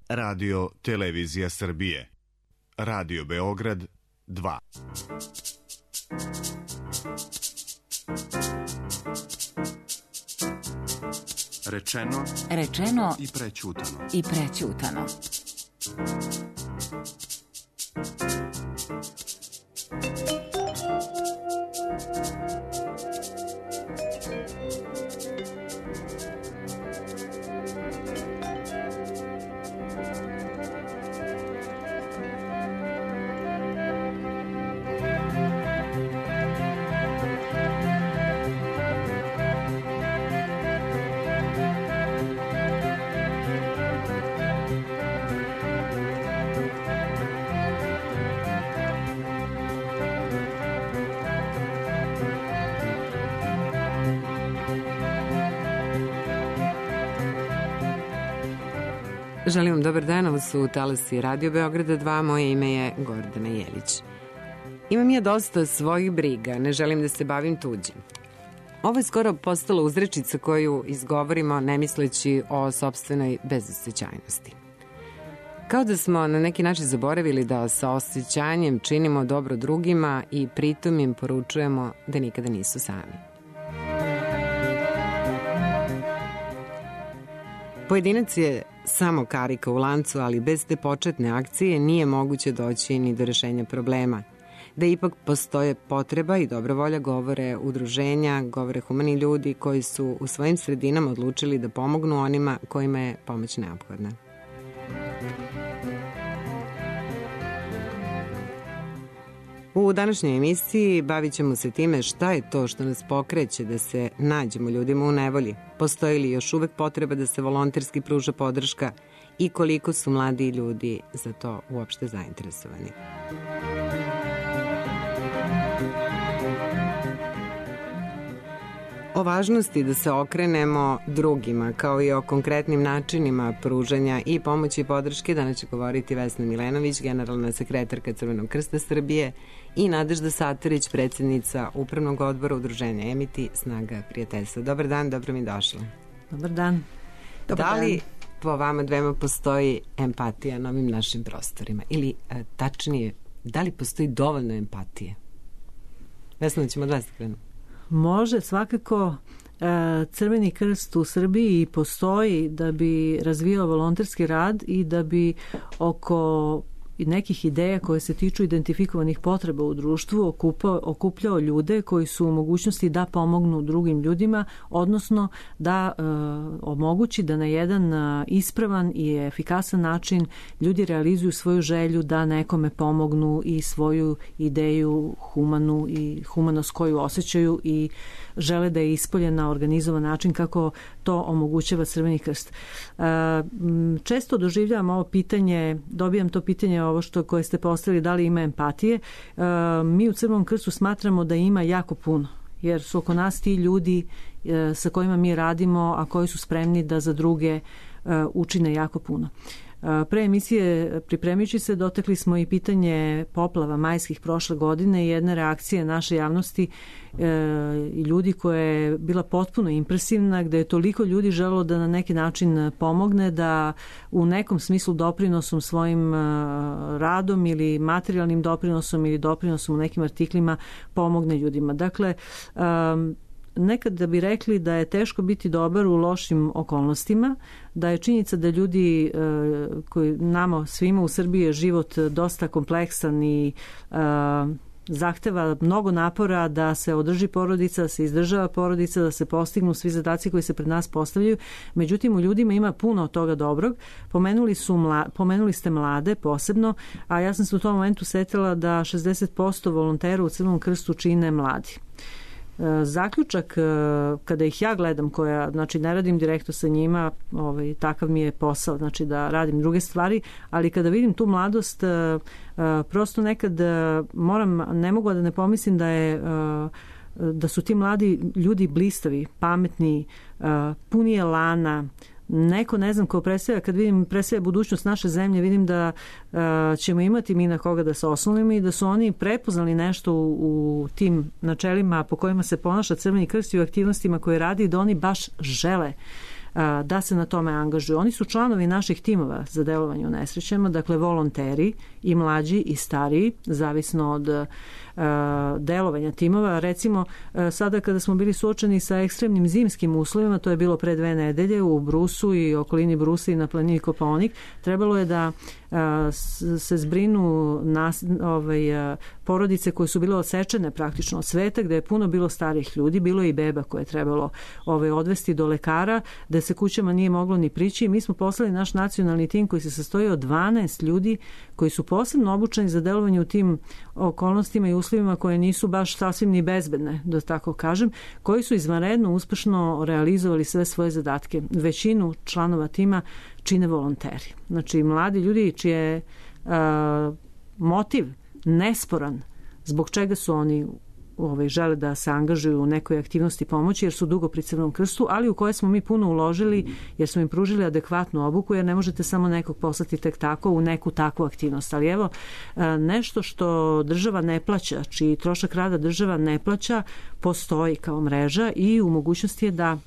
Radio Televizija Srbije. Radio Beograd 2. Rečeno i prećutano. Želim vam dobar dan, ovo su talasi Radio Beograda 2, moje ime je Gordana Jelić. Imam ja dosta svojih briga, ne želim da se bavim tuđim. Ovo je skoro postala uzrečica koju izgovorimo ne misleći o sopstvenoj bezosećajnosti. Kao da smo na neki način zaboravili da sa osjećanjem činimo dobro drugima i pritom im poručujemo da nikada nisu sami. Pojedinac je samo karika u lancu, ali bez te početne akcije nije moguće doći ni do rešenja problema. Da ipak postoje potreba i dobra volja govore udruženja, govore humani ljudi koji su u svojim sredinama odlučili da pomognu onima kojima je pomoć neophodna. U današnjoj emisiji bavit ćemo se time šta je to što nas pokreće da se nađemo ljudima u nevolji, postoji li još uvek potreba da se volonterski pruža podrška i koliko su mladi ljudi za to uopšte zainteresovani. O važnosti da se okrenemo drugima, kao i o konkretnim načinima pružanja i pomoći i podrške, danas će govoriti Vesna Milenović, generalna sekretarka Crvenog krsta Srbije, i Nadežda Satarić, predsjednica Upravnog odbora udruženja Emiti Snaga prijateljstva. Dobar dan, dobro mi došla. Dobar dan. Da li po vama dvema postoji empatija na ovim našim prostorima? Ili tačnije, da li postoji dovoljno empatije? Vesna, ćemo od vas da krenemo. Može, svakako. Crveni krst u Srbiji postoji da bi razvijao volonterski rad i da bi oko nekih ideja koje se tiču identifikovanih potreba u društvu okupljao ljude koji su u mogućnosti da pomognu drugim ljudima, odnosno da omogući da na jedan ispravan i efikasan način ljudi realizuju svoju želju da nekome pomognu i svoju ideju humanu i humanost koju osjećaju i žele da je ispolje na organizovan način kako to omogućava Crveni krst. Često doživljavam ovo pitanje, dobijam to pitanje koje ste postavili, da li ima empatije. Mi u Crvenom krstu smatramo da ima jako puno, jer su oko nas ti ljudi sa kojima mi radimo, a koji su spremni da za druge učine jako puno. Pre emisije, pripremajući se, dotakli smo i pitanje poplava majskih prošle godine i jedne reakcije naše javnosti i ljudi koja je bila potpuno impresivna, gde je toliko ljudi želelo da na neki način pomogne, da u nekom smislu doprinosom svojim radom ili materijalnim doprinosom ili doprinosom u nekim artiklima pomogne ljudima. Dakle, nekad da bi rekli da je teško biti dobar u lošim okolnostima, da je činjenica da ljudi koji nama svima u Srbiji je život dosta kompleksan i zahteva mnogo napora da se održi porodica, da se izdržava porodica, da se postignu svi zadaci koji se pred nas postavljaju. Međutim, u ljudima ima puno toga dobrog. Pomenuli ste mlade posebno, a ja sam se u tom momentu setila da 60% volontera u Crvenom krstu čine mladi. Zaključak, kada ih ja gledam, znači ne radim direktno sa njima, takav mi je posao, znači da radim druge stvari, ali kada vidim tu mladost, prosto nekad ne mogu da ne pomislim da su ti mladi ljudi blistavi, pametni, puni elana, neko, ne znam, ko predstavlja, kad vidim predstavlja budućnost naše zemlje, vidim da ćemo imati mi na koga da se oslonimo i da su oni prepoznali nešto u tim načelima po kojima se ponaša Crveni krst i u aktivnostima koje radi, da oni baš žele da se na tome angažuju. Oni su članovi naših timova za delovanje u nesrećama, dakle volonteri i mlađi i stariji, zavisno od delovanja timova. Recimo, sada kada smo bili suočeni sa ekstremnim zimskim uslovima, to je bilo pre 2 nedelje u Brusu i okolini Brusa i na planini Kopaonik, trebalo je da se zbrinu porodice koje su bile odsečene praktično od sveta, gde je puno bilo starih ljudi, bilo je i beba koje je trebalo odvesti do lekara, da se kućama nije moglo ni prići, i mi smo poslali naš nacionalni tim koji se sastoji od 12 ljudi koji su posebno obučeni za delovanje u tim okolnostima i uslovima koje nisu baš sasvim ni bezbedne, da tako kažem, koji su izvanredno uspešno realizovali sve svoje zadatke. Većinu članova tima čine volonteri. Znači, mladi ljudi čiji je motiv nesporan zbog čega su oni žele da se angažuju u nekoj aktivnosti pomoći, jer su dugo pri Crvenom krstu, ali u koje smo mi puno uložili, jer smo im pružili adekvatnu obuku, jer ne možete samo nekog poslati tek tako u neku takvu aktivnost. Ali evo, nešto što država ne plaća, čiji trošak rada država ne plaća, postoji kao mreža i u mogućnosti je da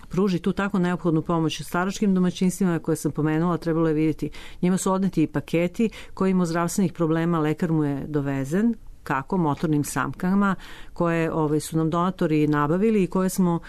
pruži tu tako neophodnu pomoć staračkim domaćinstvima koje sam pomenula, trebalo je vidjeti. Njima su odneti i paketi koji ima zdravstvenih problema, lekar mu je dovezen, kako motornim samkama koje su nam donatori nabavili i koje smo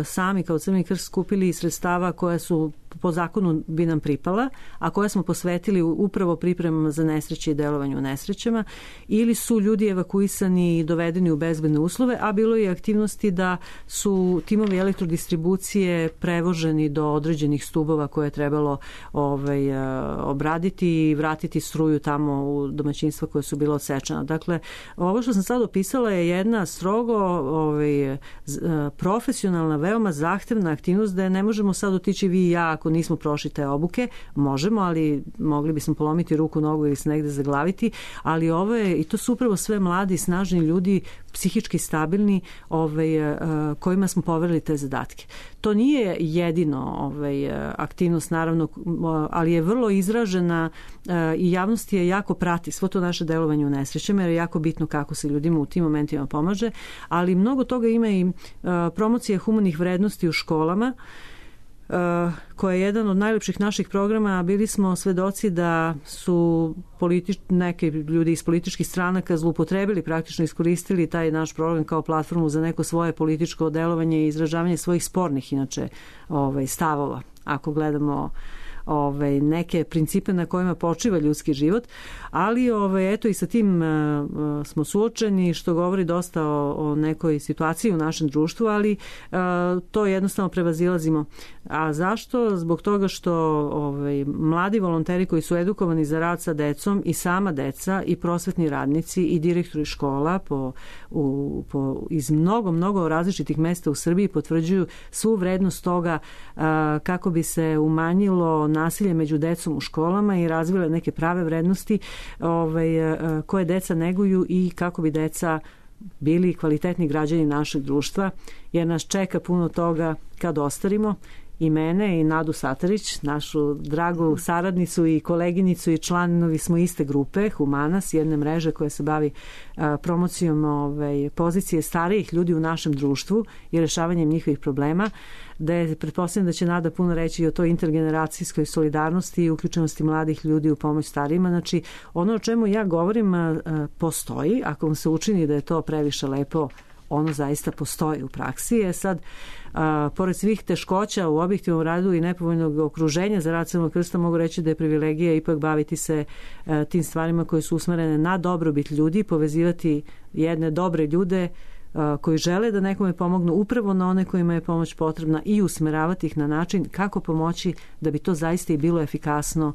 sami kao Crveni krst skupili iz sredstava koja su po zakonu bi nam pripala, a koje smo posvetili upravo pripremama za nesreće i delovanju u nesrećama, ili su ljudi evakuisani i dovedeni u bezbedne uslove, a bilo je aktivnosti da su timovi elektrodistribucije prevoženi do određenih stubova koje je trebalo obraditi i vratiti struju tamo u domaćinstva koje su bila odsečena. Dakle, ovo što sam sad opisala je jedna strogo profesionalna, veoma zahtevna aktivnost, da je ne možemo sad otići vi i ja ako nismo prošli te obuke. Možemo, ali mogli bismo polomiti ruku, nogu ili se negde zaglaviti, ali ovo je, i to su upravo sve mladi, snažni ljudi, psihički stabilni, kojima smo poverili te zadatke. To nije jedino aktivnost, naravno, ali je vrlo izražena i javnost je jako prati svo to naše delovanje u nesrećama, jer je jako bitno kako se ljudima u tim momentima pomaže, ali mnogo toga ima i promocija humanih vrednosti u školama, koja je jedan od najlepših naših programa. Bili smo svedoci da su neki ljudi iz političkih stranaka zloupotrebili, praktično iskoristili taj naš program kao platformu za neko svoje političko delovanje i izražavanje svojih spornih, inače, stavova. Ako gledamo neke principe na kojima počiva ljudski život, ali eto i sa tim smo suočeni, što govori dosta o nekoj situaciji u našem društvu, ali to jednostavno prevazilazimo. A zašto? Zbog toga što mladi volonteri koji su edukovani za rad sa decom i sama deca i prosvetni radnici i direktori škola iz mnogo različitih mesta u Srbiji potvrđuju svu vrednost toga kako bi se umanjilo nasilje među decom u školama i razvile neke prave vrednosti koje deca neguju i kako bi deca bili kvalitetni građani našeg društva, jer nas čeka puno toga kad ostarimo. I mene i Nadu Satarić, našu dragu saradnicu i koleginicu i članovi smo iste grupe Humanas, jedne mreže koja se bavi promocijom pozicije starijih ljudi u našem društvu i rešavanjem njihovih problema, da je, pretpostavljam da će Nada puno reći i o toj intergeneracijskoj solidarnosti i uključenosti mladih ljudi u pomoć starijima. Znači, ono o čemu ja govorim postoji, ako vam se učini da je to previše lepo, ono zaista postoji u praksi. Sad, pored svih teškoća u objektivnom radu i nepovoljnog okruženja za rad Crvenog krsta, mogu reći da je privilegija ipak baviti se tim stvarima koje su usmerene na dobrobit ljudi, povezivati jedne dobre ljude koji žele da nekome pomognu upravo na one kojima je pomoć potrebna i usmeravati ih na način kako pomoći da bi to zaista i bilo efikasno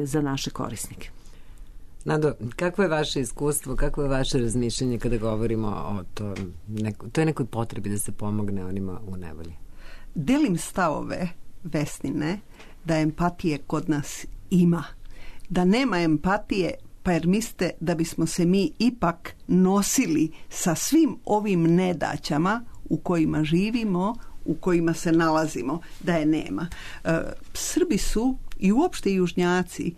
za naše korisnike. Nado, kako je vaše iskustvo, kako je vaše razmišljanje kada govorimo o toj nekoj potrebi da se pomogne onima u nevolji? Delim stavove Vesnine da empatije kod nas ima. Da nema empatije, pa jer mislite da bismo se mi ipak nosili sa svim ovim nedaćama u kojima živimo, u kojima se nalazimo, da je nema. Srbi su i uopšte južnjaci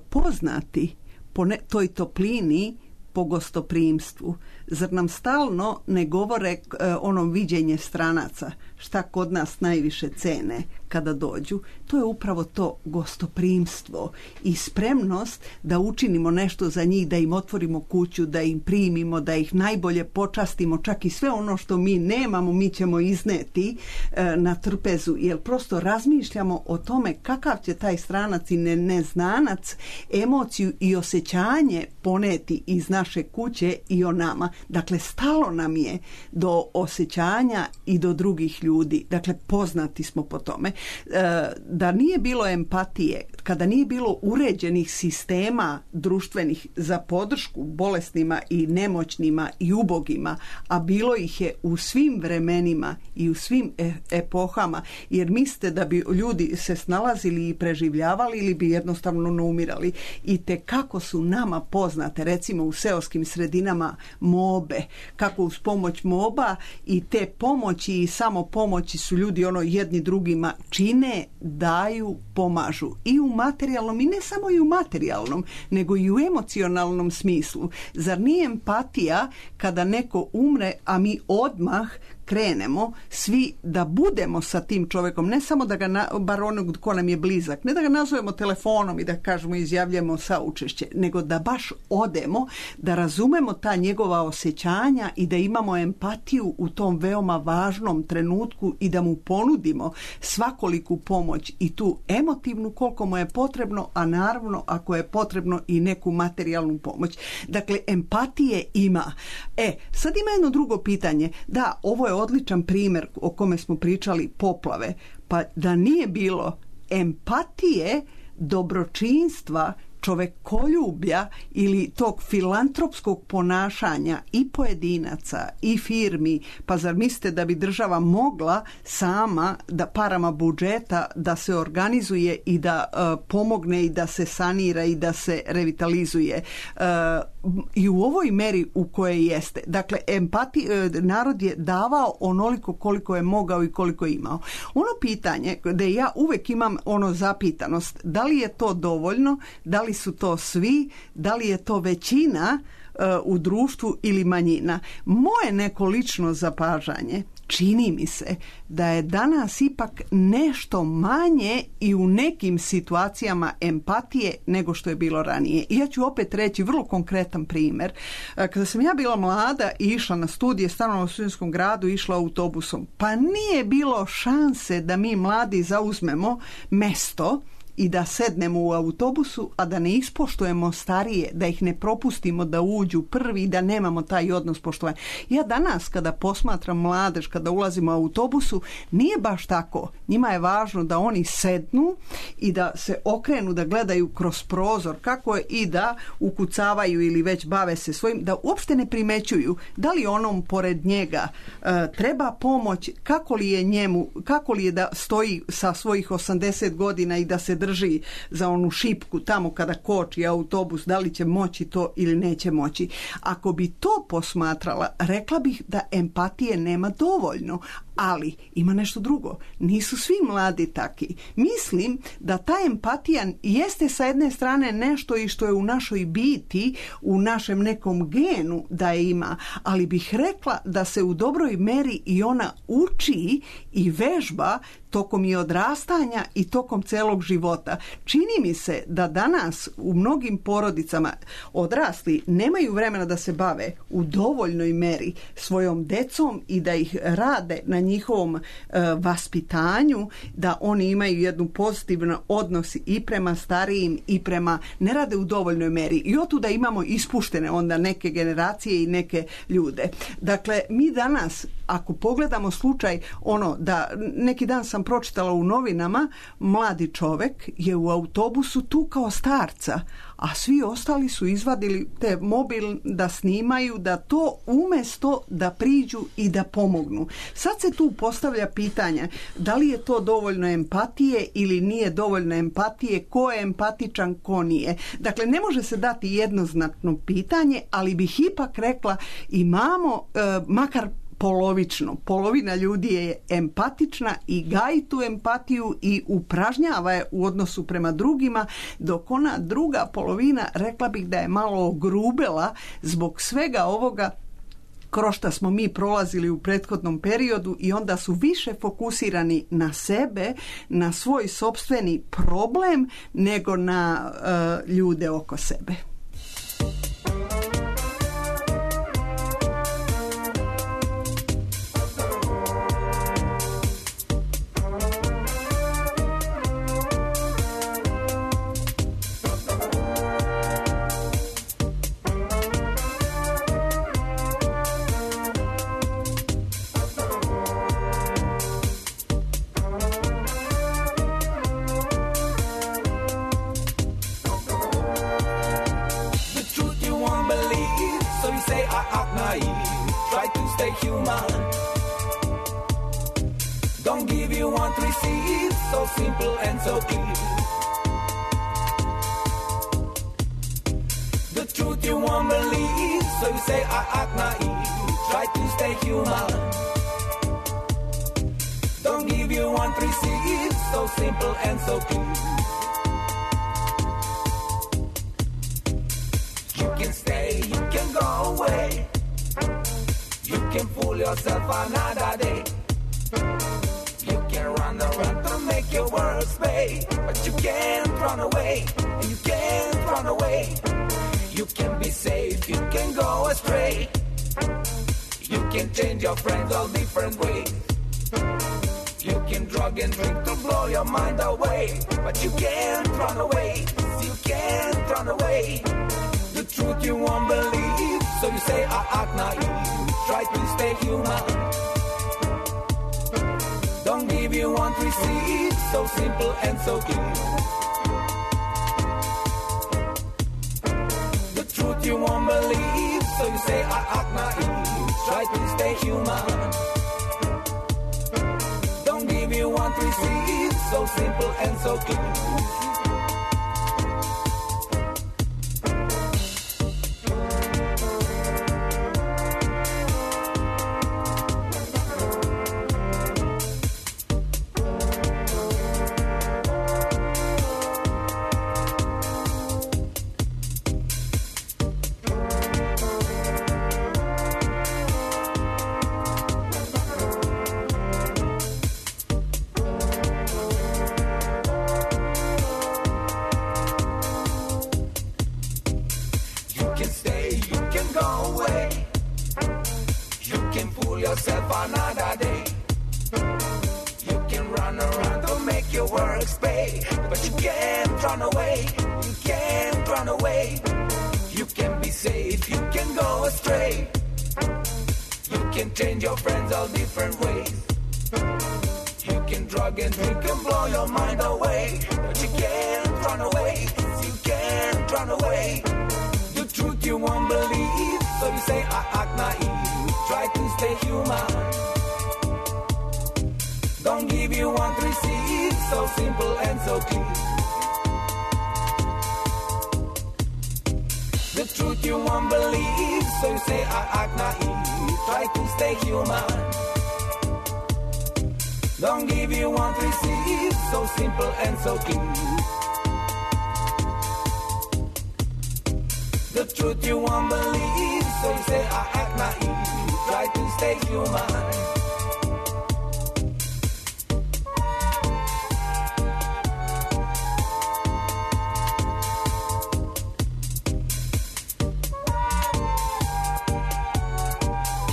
poznati po toj toplini, po gostoprimstvu. Zar nam stalno ne govore ono viđenje stranaca? šta kod nas najviše cene kada dođu, to je upravo to gostoprimstvo i spremnost da učinimo nešto za njih, da im otvorimo kuću, da im primimo, da ih najbolje počastimo, čak i sve ono što mi nemamo mi ćemo izneti na trpezu, jer prosto razmišljamo o tome kakav će taj stranac i neznanac emociju i osjećanje poneti iz naše kuće i o nama. Dakle, stalo nam je do osjećanja i do drugih ljudi. Dakle, poznati smo po tome. Da nije bilo empatije, kada nije bilo uređenih sistema društvenih za podršku bolesnima i nemoćnima i ubogima, a bilo ih je u svim vremenima i u svim epohama, jer mislite da bi ljudi se snalazili i preživljavali ili bi jednostavno umirali. I te kako su nama poznate, recimo u seoskim sredinama mobe, kako uz pomoć moba i te pomoći i samo pomoći su ljudi jedni drugima čine, daju, pomažu i u materijalnom i ne samo i u materijalnom, nego i u emocionalnom smislu. Zar nije empatija kada neko umre, a mi odmah krenemo svi da budemo sa tim čovjekom, ne samo da ga, bar onog ko nam je blizak, ne da ga nazovemo telefonom i da kažemo izjavljamo saučešće, nego da baš odemo, da razumemo ta njegova osjećanja i da imamo empatiju u tom veoma važnom trenutku i da mu ponudimo svakoliku pomoć i tu emotivnu koliko mu je potrebno, a naravno ako je potrebno i neku materijalnu pomoć. Dakle, empatije ima. Sad ima jedno drugo pitanje. Da, ovo je odličan primjer o kome smo pričali, poplave. Pa da nije bilo empatije, dobročinstva, čovekoljublja ili tog filantropskog ponašanja i pojedinaca i firmi, pa zar mislite da bi država mogla sama da parama budžeta da se organizuje i da pomogne i da se sanira i da se revitalizuje i u ovoj meri u kojoj jeste. Dakle, narod je davao onoliko koliko je mogao i koliko je imao. Ono pitanje da ja uvek imam zapitanost, da li je to dovoljno, da li su to svi, da li je to većina u društvu ili manjina. Moje neko lično zapažanje, čini mi se da je danas ipak nešto manje i u nekim situacijama empatije nego što je bilo ranije. I ja ću opet reći vrlo konkretan primjer. Kada sam ja bila mlada i išla na studije, stanovala u studentskom gradu, išla autobusom, pa nije bilo šanse da mi mladi zauzmemo mesto i da sednemo u autobusu, a da ne ispoštujemo starije, da ih ne propustimo da uđu prvi i da nemamo taj odnos poštovanja. Ja danas kada posmatram mladež, kada ulazimo u autobusu, nije baš tako. Njima je važno da oni sednu i da se okrenu, da gledaju kroz prozor, kako je, i da ukucavaju ili već bave se svojim, da uopšte ne primećuju da li onom pored njega treba pomoć, kako li je da stoji sa svojih 80 godina i da se drži za onu šipku tamo kada koči autobus, da li će moći to ili neće moći. Ako bi to posmatrala, rekla bih da empatije nema dovoljno, ali ima nešto drugo. Nisu svi mladi taki. Mislim da ta empatija jeste sa jedne strane nešto i što je u našoj biti, u našem nekom genu da je ima, ali bih rekla da se u dobroj meri i ona uči i vežba tokom i odrastanja i tokom celog života. Čini mi se da danas u mnogim porodicama odrasli nemaju vremena da se bave u dovoljnoj meri svojom decom i da ih rade na njihovom vaspitanju, da oni imaju jednu pozitivan odnos i prema starijim i prema, ne rade u dovoljnoj meri. I otuda imamo ispuštene onda neke generacije i neke ljude. Dakle, mi danas, ako pogledamo slučaj, da neki dan sam pročitala u novinama, mladi čovek je u autobusu tukao starca, a svi ostali su izvadili te mobil da snimaju, da to umesto da priđu i da pomognu. Sad se tu postavlja pitanje da li je to dovoljno empatije ili nije dovoljno empatije, ko je empatičan, ko nije. Dakle, ne može se dati jednoznačno pitanje, ali bih ipak rekla imamo makar polovično. Polovina ljudi je empatična i gaji tu empatiju i upražnjava je u odnosu prema drugima, dok ona druga polovina, rekla bih da je malo ogrubela zbog svega ovoga kroz što smo mi prolazili u prethodnom periodu i onda su više fokusirani na sebe, na svoj sopstveni problem nego na ljude oko sebe.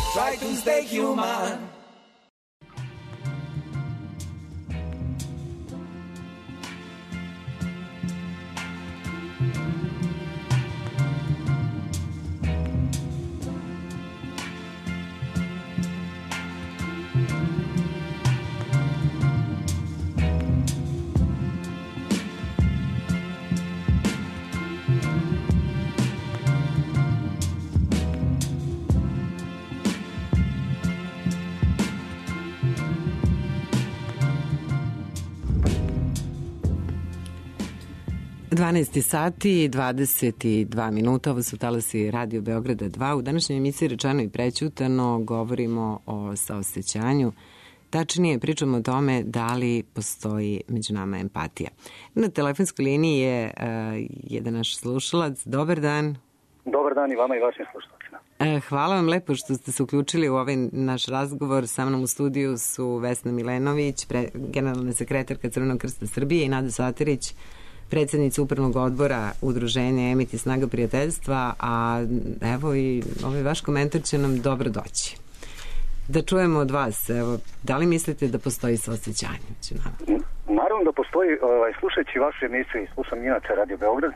Try to stay human. Dvanaesti sati i 22 minuta, ovo su talasi Radio Beograda 2. U današnjoj emisiji Rečeno i prećutano govorimo o saosećanju. Tačnije pričamo o tome da li postoji među nama empatija. Na telefonskoj liniji je jedan naš slušalac. Dobar dan. Dobar dan i vama i vašim slušalcima. Hvala vam lepo što ste se uključili u ovaj naš razgovor. Sa mnom u studiju su Vesna Milenović, generalna sekretarka Crvenog krsta Srbije, i Nada Saterić, predsjednica upravnog odbora udruženja Emit i Snaga prijateljstva, a evo i ovaj vaš komentar će nam dobro doći. Da čujemo od vas, evo, da li mislite da postoji saosećanje? Naravno da postoji, slušajući vašu emisiju i slušam inače Radio Beograd,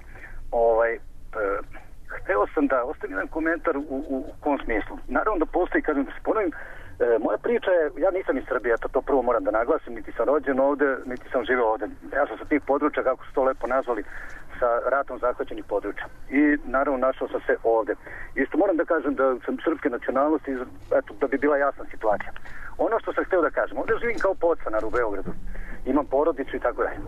hteo sam da ostavim jedan komentar u kom smislu. Naravno da postoji, kažem da se ponovim, moja priča je, ja nisam iz Srbije, to prvo moram da naglasim, niti sam rođen ovde, niti sam živeo ovde. Ja sam sa tih područja, kako su to lepo nazvali, sa ratom zahvaćenih područja. I naravno našao sam se ovde. Isto moram da kažem da sam srpske nacionalnosti, eto, da bi bila jasna situacija. Ono što sam hteo da kažem, ovde živim kao podstanar u Beogradu. Imam porodicu i tako dalje.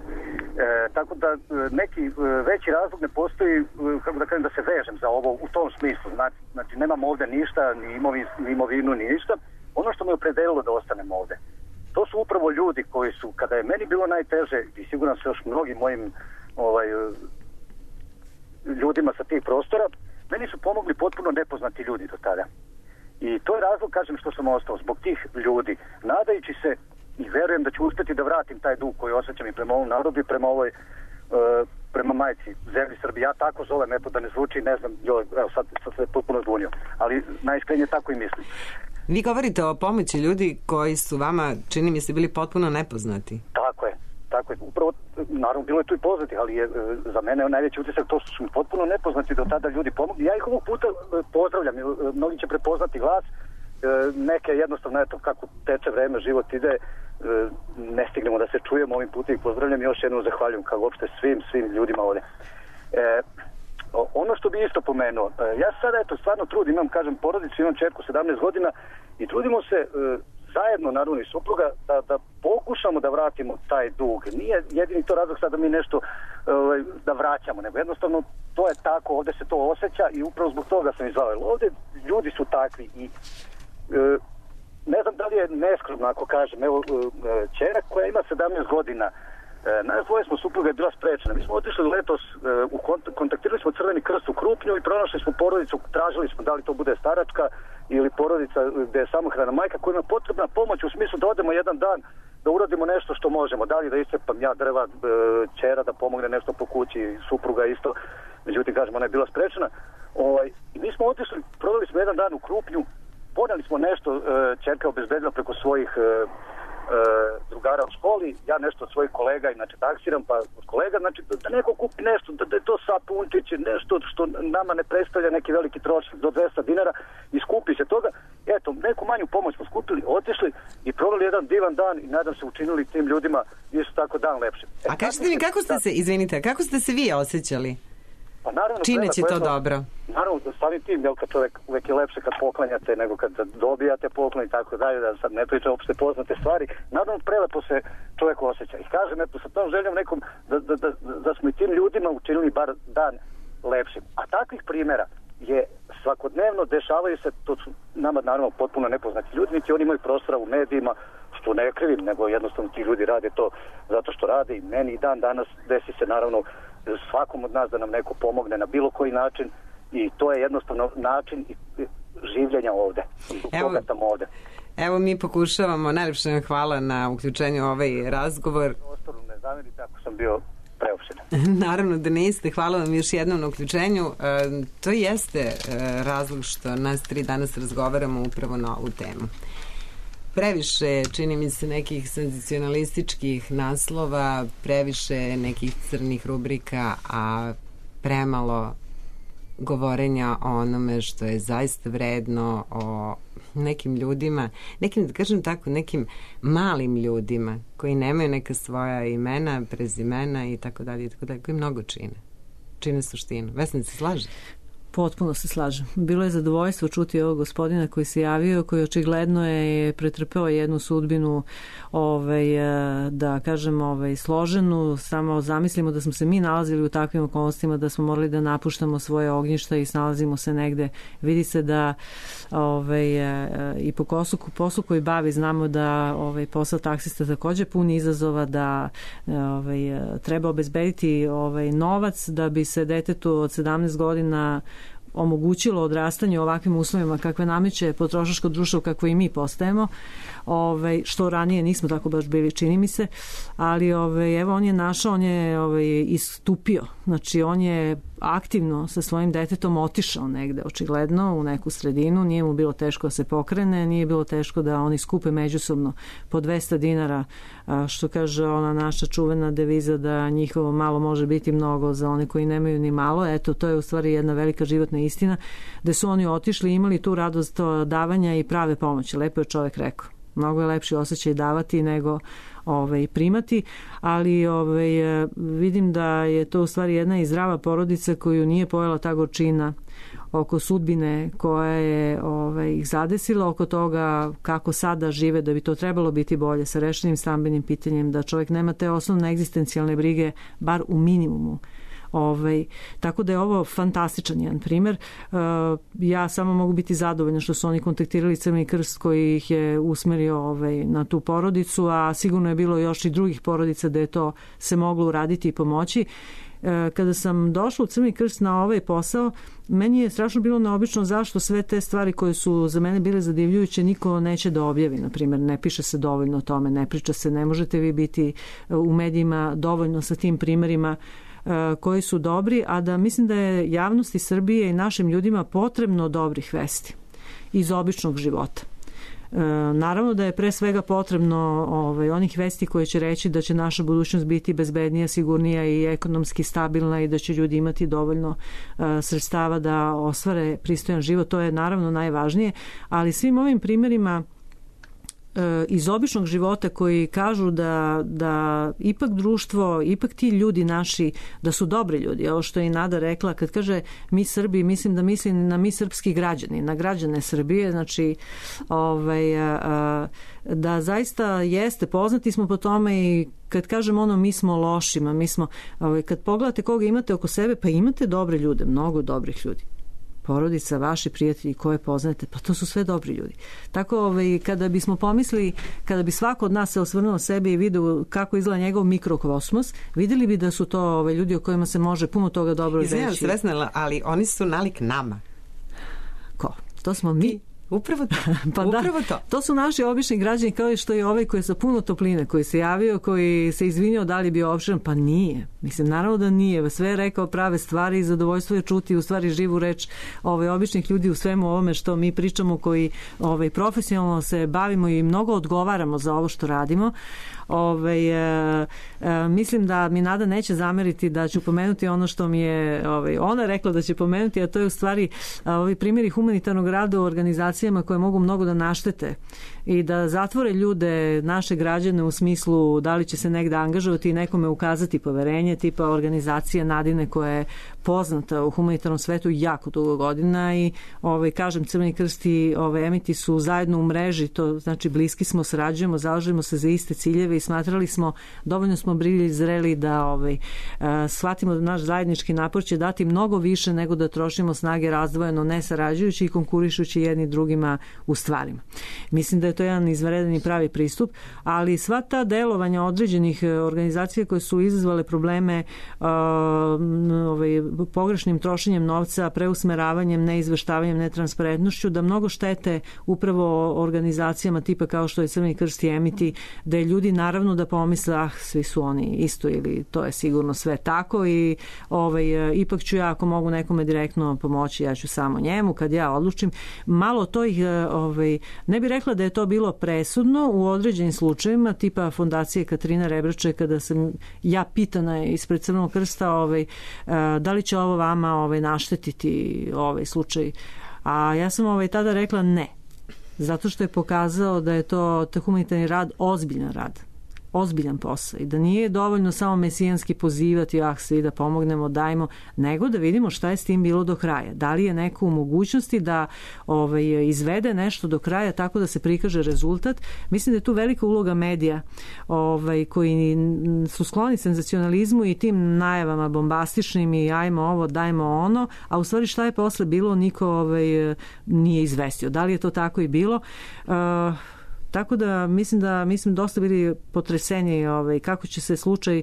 Tako da neki veći razlog ne postoji, kako da kažem, da se vežem za ovo u tom smislu. Znači, nemam ovde ništa, ni imovinu, ni ništa. Ono što me opredelilo da ostanem ovde, to su upravo ljudi koji su, kada je meni bilo najteže, i siguran se još mnogim mojim ljudima sa tih prostora, meni su pomogli potpuno nepoznati ljudi do tada. I to je razlog, kažem, što sam ostao zbog tih ljudi, nadajući se i verujem da ću uspjeti da vratim taj dug koji osjećam i prema ovom narodu i prema majci, zemlji Srbije. Ja tako zovem, eto da ne zvuči, ne znam, evo sad se potpuno zbunio, ali najiskrenije tako i mislim. Vi govorite o pomoći ljudi koji su vama, čini mi se, bili potpuno nepoznati. Tako je. Upravo, naravno, bilo je tu i poznati, ali je za mene najveći utisak to što su mi potpuno nepoznati do tada ljudi pomogli. Ja ih ovog puta pozdravljam, mnogi će prepoznati glas, neke jednostavno, eto, kako teče vreme, život ide, ne stignemo da se čujemo, ovim putem ih pozdravljam i još jednom zahvaljujem kao uopšte svim ljudima ovde. Ono što bi isto pomenuo, ja sada, eto, stvarno trudim, imam, kažem, porodicu, imam čerku 17 godina i trudimo se zajedno, naravno i supruga, da pokušamo da vratimo taj dug. Nije jedini to razlog sada da mi nešto da vraćamo, nego jednostavno to je tako, ovde se to osjeća i upravo zbog toga sam izvao. Ovde ljudi su takvi i ne znam da li je neskromno ako kažem, evo, čera koja ima 17 godina, nas dvoje smo, supruga je bila sprečena. Mi smo otišli letos, kontaktirali smo Crveni krst u Krupnju i pronašli smo porodicu, tražili smo da li to bude staračka ili porodica gde je samohrana majka koja ima potrebna pomoć u smislu da odemo jedan dan, da uradimo nešto što možemo. Da li da iscepam ja drva, čera da pomogne nešto po kući, supruga isto. Međutim, kažem, ona je bila sprečena. I mi smo otišli, proveli smo jedan dan u Krupnju, poneli smo nešto, čerka obezbedila preko svojih drugara u školi, ja nešto od svojih kolega, inače taksiram, pa od kolega, znači da neko kupi nešto, da je to sapunčiće, nešto što nama ne predstavlja neki veliki trošak do 200 dinara i skupi se toga. Eto, neku manju pomoć smo skupili, otišli i proveli jedan divan dan i nadam se učinili tim ljudima isto tako dan lepše. A kažete mi, kako ste se vi osjećali? Pa naravno, čineći to dobro. Naravno, samim tim, jel, kad čovjek uvek je lepše kad poklanjate nego kad dobijate poklon i tako dalje, da sad ne pričam opšte poznate stvari. Naravno, prelepo se čovjek osjeća. I kažem, eto, sa tom željom nekom da smo i tim ljudima učinili bar dan lepšim. A takvih primjera je svakodnevno, dešavaju se, to su nama naravno potpuno nepoznati ljudi, niti oni imaju prostora u medijima, što ne krivim, nego jednostavno ti ljudi rade to zato što rade i meni i dan danas desi se naravno svakom od nas da nam neko pomogne na bilo koji način i to je jednostavno način življenja ovde. Evo mi pokušavamo, najljepše vam hvala na uključenju u ovaj razgovor. Ostaru ne zamerite ako sam bio preopšten. Naravno da niste, hvala vam još jednom na uključenju. To jeste razlog što nas 3 danas razgovaramo upravo na ovu temu. Previše, čini mi se, nekih senzacionalističkih naslova, previše nekih crnih rubrika, a premalo govorenja o onome što je zaista vredno, o nekim ljudima, nekim, da kažem tako, nekim malim ljudima koji nemaju neka svoja imena, prezimena i tako dalje, koji mnogo čine suštinu. Vesna, se slaže? Potpuno se slažem. Bilo je zadovoljstvo čuti ovog gospodina koji se javio, koji očigledno je pretrpeo jednu sudbinu, da kažem, složenu. Samo zamislimo da smo se mi nalazili u takvim okolnostima, da smo morali da napuštamo svoje ognjišta i snalazimo se negde. Vidi se da i po poslu koji bavi znamo da posao taksista takođe puni izazova, da treba obezbediti novac da bi se detetu od 17 godina omogućilo odrastanje u ovakvim uslovima kakve nameće potrošačko društvo kakvo i mi postajemo, što ranije nismo tako baš bili, čini mi se, ali evo on je našao, on je istupio, znači on je aktivno sa svojim detetom otišao negde, očigledno u neku sredinu, nije mu bilo teško da se pokrene, nije bilo teško da oni skupe međusobno po 200 dinara, što kaže ona naša čuvena deviza da njihovo malo može biti mnogo za one koji nemaju ni malo. Eto, to je u stvari jedna velika životna istina, da su oni otišli i imali tu radost davanja i prave pomoći. Lepo je čovjek rekao. Mnogo je lepši osjećaj davati nego primati, ali vidim da je to u stvari jedna i zdrava porodica koju nije pojela ta gorčina oko sudbine koja je ih zadesila, oko toga kako sada žive, da bi to trebalo biti bolje sa rešenim stambenim pitanjem, da čovjek nema te osnovne egzistencijalne brige, bar u minimumu. Tako da je ovo fantastičan jedan primer. Ja samo mogu biti zadovoljna što su oni kontaktirali Crveni krst koji ih je usmerio na tu porodicu, a sigurno je bilo još i drugih porodica da je to se moglo uraditi i pomoći. Kada sam došla u Crveni krst na ovaj posao, meni je strašno bilo neobično zašto sve te stvari koje su za mene bile zadivljujuće niko neće da objavi. Naprimjer, ne piše se dovoljno o tome, ne priča se, ne možete vi biti u medijima dovoljno sa tim primerima koji su dobri, a da mislim da je javnosti Srbije i našim ljudima potrebno dobrih vesti iz običnog života. Naravno da je pre svega potrebno onih vesti koje će reći da će naša budućnost biti bezbednija, sigurnija i ekonomski stabilna i da će ljudi imati dovoljno sredstava da ostvare pristojan život. To je naravno najvažnije, ali svim ovim primjerima iz običnog života koji kažu da ipak društvo, ipak ti ljudi naši, da su dobri ljudi. Ovo što je i Nada rekla, kad kaže mi Srbi, mislim da mislim na mi srpski građani, na građane Srbije, znači da zaista jeste, poznati smo po tome i kad kažem mi smo lošima, mi smo, kad pogledate koga imate oko sebe, pa imate dobre ljude, mnogo dobrih ljudi. Porodica, vaši prijatelji koje poznate, pa to su sve dobri ljudi. Tako kada bismo pomislili, kada bi svako od nas se osvrnuo sebe i vidio kako izgleda njegov mikrokosmos, videli bi da su to ljudi o kojima se može puno toga dobro reći. Izvinjam se, Vesna, ali oni su nalik nama. Ko? To smo mi. Upravo to. Pa upravo to. To su naši obični građani, kao i što je ovaj koji je sa puno topline, koji se javio, koji se izvinio da li je bio opširan, pa nije. Mislim, naravno da nije. Sve je rekao prave stvari i zadovoljstvo je čuti u stvari živu reč običnih ljudi u svemu ovome što mi pričamo, koji profesionalno se bavimo i mnogo odgovaramo za ovo što radimo. Mislim da mi Nada neće zameriti da ću pomenuti ono što mi je ona rekla da će pomenuti, a to je u stvari ovi primjeri humanitarnog rada u organizacijama koje mogu mnogo da naštete i da zatvore ljude, naše građane, u smislu da li će se negde angažovati i nekome ukazati poverenje, tipa organizacije Nadine koja je poznata u humanitarnom svetu jako dugo godina i kažem, Crveni krst i Emiti su zajedno u mreži, to znači bliski smo, sarađujemo, zalažemo se za iste ciljeve i smatrali smo, dovoljno smo bili zreli da shvatimo da naš zajednički napor će dati mnogo više nego da trošimo snage razdvojeno, ne sarađujući i konkurišući jedni drugima u stvarima. Mislim da je to jedan izvanredan i pravi pristup, ali sva ta delovanja određenih organizacija koje su izazvale probleme pogrešnim trošenjem novca, preusmeravanjem, neizveštavanjem, netransparentnošću, da mnogo štete upravo organizacijama tipa kao što je Crveni krst i Emiti, da je ljudi naravno da pomisle, svi su oni isto ili to je sigurno sve tako i ipak ću ja, ako mogu nekome direktno pomoći, ja ću samo njemu kad ja odlučim. Malo to ih, ne bih rekla da je to bilo presudno u određenim slučajevima, tipa fondacije Katarina Rebrače, kada sam ja pitana ispred Crvenog krsta da li će ovo vama naštetiti ovaj slučaj, a ja sam tada rekla ne, zato što je pokazao da je to humanitarni rad ozbiljan rad, ozbiljan posao i da nije dovoljno samo mesijanski pozivati svi da pomognemo, dajmo, nego da vidimo šta je s tim bilo do kraja. Da li je neko u mogućnosti da izvede nešto do kraja tako da se prikaže rezultat. Mislim da je tu velika uloga medija koji su skloni senzacionalizmu i tim najavama bombastičnim i ajmo ovo, dajmo ono, a u stvari šta je posle bilo niko nije izvestio. Da li je to tako i bilo? Tako da mi smo dosta bili potreseni kako će se slučaj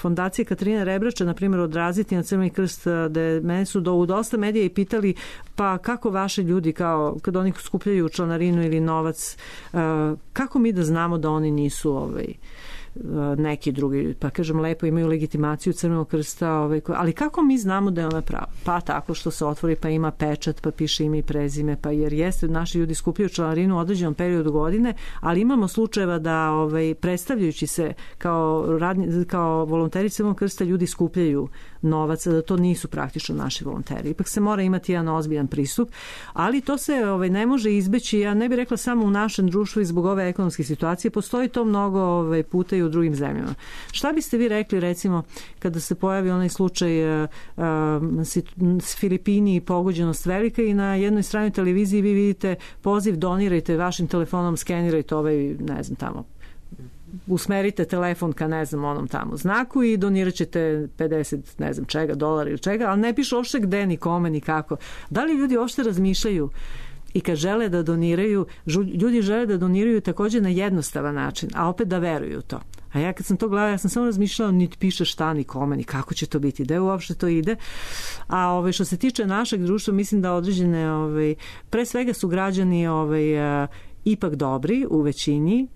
fondacije Katarine Rebrača, na primjer, odraziti na Crveni krst, da mene su u dosta medija i pitali pa kako vaši ljudi, kao kad oni skupljaju članarinu ili novac, kako mi da znamo da oni nisu neki drugi, pa kažem lepo, imaju legitimaciju Crvenog krsta, ali kako mi znamo da je ona prava? Pa tako što se otvori, pa ima pečat, pa piše ime i prezime, pa jer jeste, naši ljudi skupljaju članarinu u određenom periodu godine, ali imamo slučajeva da predstavljajući se kao volonteri Crvenog krsta, ljudi skupljaju novac, da to nisu praktično naši volonteri. Ipak se mora imati jedan ozbiljan pristup, ali to se ne može izbeći, ja ne bih rekla samo u našem društvu i zbog ove ekonomske situacije, postoji to mnogo puta i u drugim zemljama. Šta biste vi rekli, recimo, kada se pojavi onaj slučaj s Filipini i pogođenost velika i na jednoj stranoj televiziji vi vidite poziv donirajte vašim telefonom, skenirajte ne znam tamo, usmerite telefon ka onom tamo znaku i donirat ćete 50 ne znam čega, dolara ili čega, ali ne piše uopšte gde, ni kome, ni kako. Da li ljudi uopšte razmišljaju i kad žele da doniraju, ljudi žele da doniraju također na jednostavan način, a opet da veruju to. A ja kad sam to gledala, ja sam samo razmišljala, niti piše šta, ni kome, ni kako će to biti, da uopšte to ide. A što se tiče našeg društva, mislim da određene, pre svega su građani ipak dobri u većini,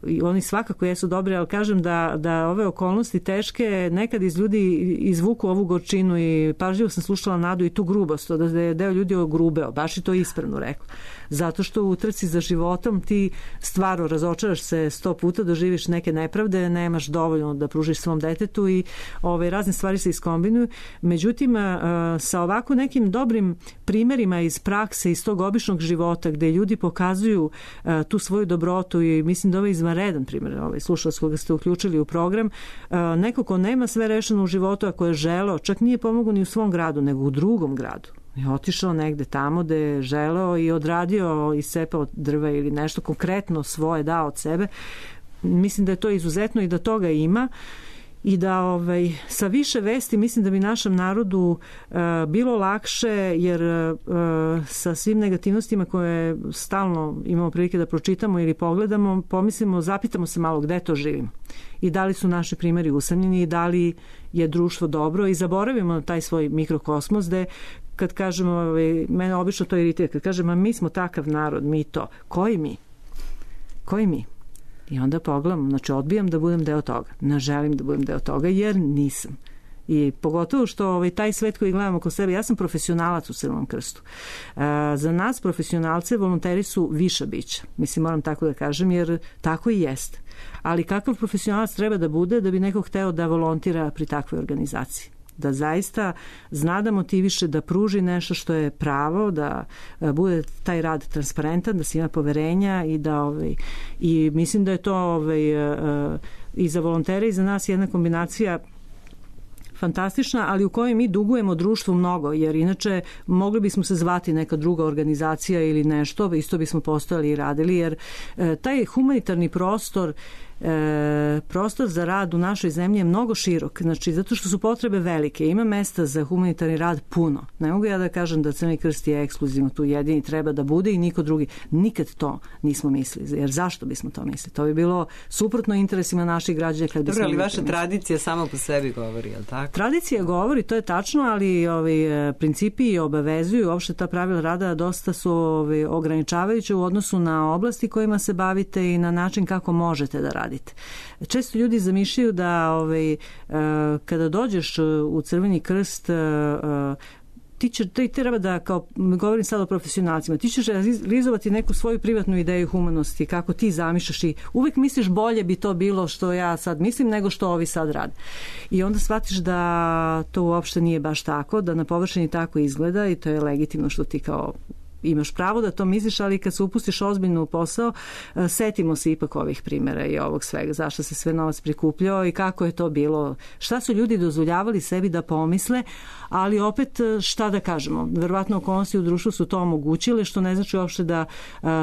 i oni svakako jesu dobri, ali kažem da ove okolnosti teške nekad iz ljudi izvuku ovu gorčinu i pažljivo sam slušala Nadu i tu grubost, da je deo ljudi ogrubeo, baš i to ispravno rekla. Zato što u trci za životom ti stvarno razočaraš se 100 puta, doživiš neke nepravde, nemaš dovoljno da pružiš svom detetu i razne stvari se iskombinuju. Međutim, sa ovako nekim dobrim primerima iz prakse, iz tog običnog života gde ljudi pokazuju tu svoju dobrotu i mislim da ovo je izvanredan primjer, slušalac koga ste uključili u program, neko ko nema sve rešeno u životu, ako je želeo, čak nije pomogao ni u svom gradu, nego u drugom gradu. Je otišao negde tamo gde je želeo i odradio, iscepao drva ili nešto konkretno svoje dao od sebe. Mislim da je to izuzetno i da toga ima i da sa više vesti mislim da bi našem narodu bilo lakše, jer sa svim negativnostima koje stalno imamo prilike da pročitamo ili pogledamo, pomislimo, zapitamo se malo gde to živimo i da li su naši primjeri usamljeni i da li je društvo dobro i zaboravimo taj svoj mikrokosmos gde kad kažemo, mene obično to iritira, kad kažemo mi smo takav narod, mi to, koji mi? Koji mi? I onda pogledam, znači odbijam da budem deo toga. Ne želim da budem deo toga jer nisam. I pogotovo što taj svet koji gledamo oko sebe, ja sam profesionalac u Crvenom krstu. Za nas profesionalce volonteri su viša bića. Mislim, moram tako da kažem, jer tako i jeste. Ali kakav profesionalac treba da bude da bi neko hteo da volontira pri takvoj organizaciji? Da zaista zna da motiviše, da pruži nešto što je pravo, da bude taj rad transparentan, da se ima poverenja i da i mislim da je to i za volontere i za nas jedna kombinacija fantastična, ali u kojoj mi dugujemo društvu mnogo, jer inače mogli bismo se zvati neka druga organizacija ili nešto, isto bismo postojali i radili, jer taj humanitarni prostor za rad u našoj zemlji je mnogo širok, znači zato što su potrebe velike, ima mesta za humanitarni rad puno. Ne mogu ja da kažem da Crveni krst je ekskluzivno tu jedini treba da bude i niko drugi. Nikad to nismo mislili, jer zašto bismo to mislili? To bi bilo suprotno interesima naših građana. Dobro, ali vaša tradicija samo po sebi govori, je li tako? Tradicija govori, to je tačno, ali principi obavezuju, uopšte ta pravila rada dosta su ograničavajuće u odnosu na oblasti kojima se bavite i na način kako možete da radite. Često ljudi zamišljaju da kada dođeš u Crveni krst ti treba da, kao govorim sad o profesionalcima, ti ćeš realizovati neku svoju privatnu ideju humanosti, kako ti zamišljaš i uvijek misliš bolje bi to bilo što ja sad mislim nego što ovi sad rade. I onda shvatiš da to uopšte nije baš tako, da na površini tako izgleda i to je legitimno što ti kao imaš pravo da to misliš, ali kad se upustiš ozbiljno u posao, setimo se ipak ovih primjera i ovog svega, zašto se sve novac prikupljao i kako je to bilo, šta su ljudi dozvoljavali sebi da pomisle, ali opet šta da kažemo, verovatno okolnosti u društvu su to omogućile, što ne znači uopšte da